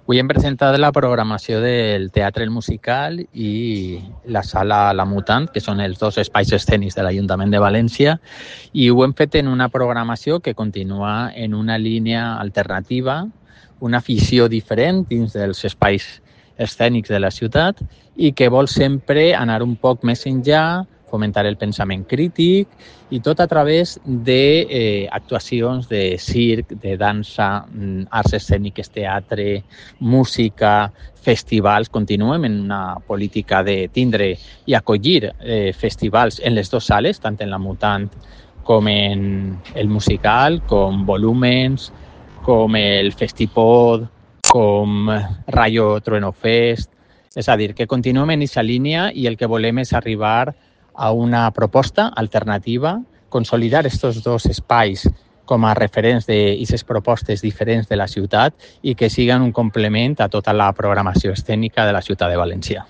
Avui hem presentat la programació del Teatre El Musical i la Sala La Mutant, que són els dos espais escènics de l'Ajuntament de València, i ho hem fet en una programació que continua en una línia alternativa, una afició diferent dins dels espais escènics de la ciutat i que vol sempre anar un poc més enllà, fomentar el pensament crític i tot a través d'actuacions de circ, de dansa, arts escèniques, teatre, música, festivals. Continuem en una política de tindre i acollir festivals en les dues sales, tant en la Mutant com en el Musical, com Volúmens, com el Festipod, com Rayo Trueno Fest. És a dir, que continuem en aquesta línia i el que volem és arribar a una proposta alternativa, consolidar aquests dos espais com a referents d'aquestes propostes diferents de la ciutat i que siguin un complement a tota la programació escènica de la ciutat de València.